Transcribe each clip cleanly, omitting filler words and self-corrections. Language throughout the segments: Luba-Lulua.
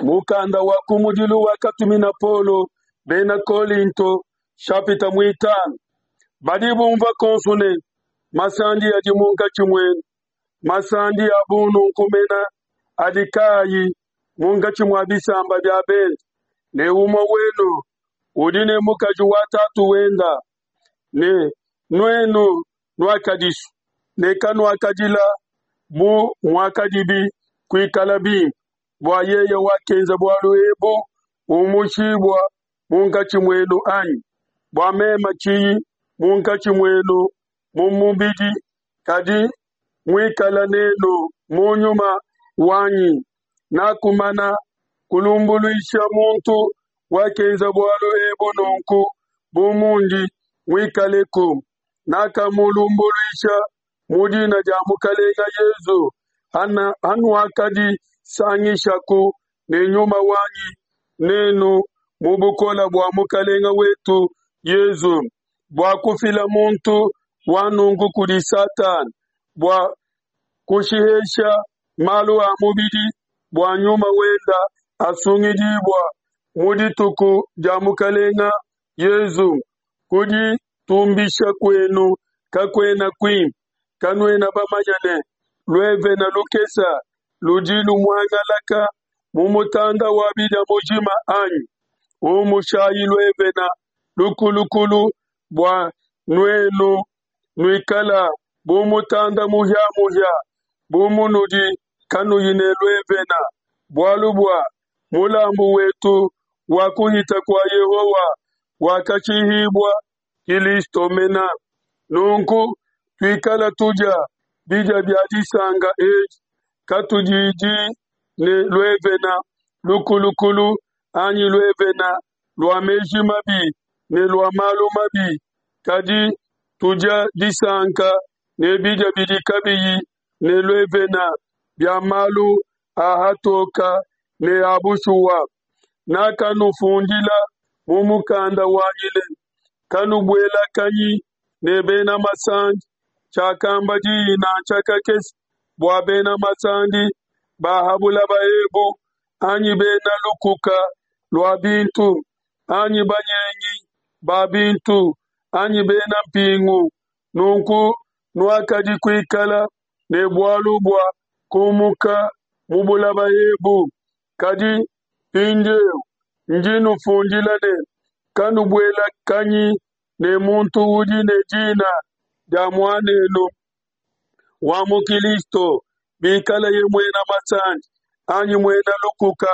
Mukanda wa kumudilu wakatumina Paulo bena Kolinto, shapita muitanu. Badi bumvua konsu ne masandi adi munkatshi muenu, masandi a bununku mena adi kaayi munkatshi mua bisamba bia bende, ne umue wenu udi ne mukaji wa tatu wenda, ne nuenu nuakadisua ne kanuakadila bu muakadibi kuikala bimpe, bua yeye wakenza bualu ebu umushibua munkatshi muenu anyi? Bua meme tshiyi munkatshi muenu mu mubidi, kadi muikala nenu mu nyuma wanyi, nakumana kulumbuluisha muntu wakenza bualu ebu nunku bu mundi muikaleku. Nakamulumbuluisha mu dina dia Mukalenga Yezu, hanuakadisangishaku ne nyuma wanyi nenu mu bukole bua Mukalenga wetu Yezu, bua kufila muntu wa nunku kudi Satana, bua kushihesha malu a mubidi, bua nyuma wenda asungidibua mu dituku dia Mukalenga Yezu. Kuditumbisha kuenu kakuena kuimpe. Kanuena bamanya ne luevene lukese ludi lumuangalaka mu mutanda wa bidia mujima anyi? Umushayi luevene lukulukulu bua nuenu nuikala bu mutanda muhia-muhia, bu munudi kanuyi ne luevene. Bualu bua mulambu wetu wa kuhita kua Yehowa wakashihibua, Kilisto mena. Nunku tuikala tudia bidia bia disanka edi, katudidi ne luevene lukulukulu anyi luevene lua meji mabi ne lua malu mabi, kadi tudia disanka ne bidia bidi kabiyi ne luevene bia malu a hatoka ne a bushuwa. Nakanufundila mu mukanda wanyi ne, Kanubuelakanyi ne bena masandi. Tshiakamba diyi nansha kakese bua bena masandi ba ha bulaba ebu, anyi bena lukuka lua bintu, anyi banyengi ba bintu, anyi bena mpingu. Nunku nuakadi kuikala ne bualu bua kumuka mu bulaba ebu. Kadi mpindieu ndi nufundila ne, kanubuelakanyi ne muntu udi ne dina dia muanenu wa mu Kilisto, bikalaye muena masandi, anyi muena lukuka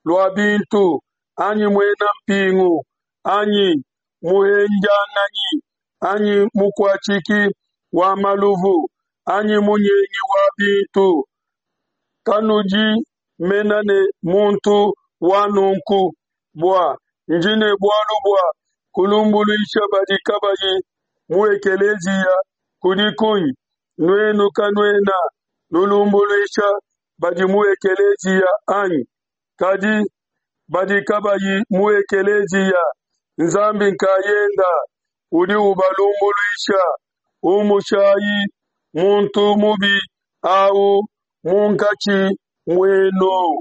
lua bintu, anyi muena mpingu, anyi muhendianganyi, anyi mukuatshiki wa maluvu, anyi munyengi wa bintu. Kanudi mena ne muntu wa nunku, bua ndi ne bualu bua kulumbuluisha badi kabayi mu ekeleziya kudi kunyi? Nuenu kanuena nulumbuluisha badi mu ekeleziya anyi? Kadi badi kabayi mu ekeleziya, Nzambi nkayenda udi ubalumbuluisha. Umushayi muntu mubi au munkatshi muenu.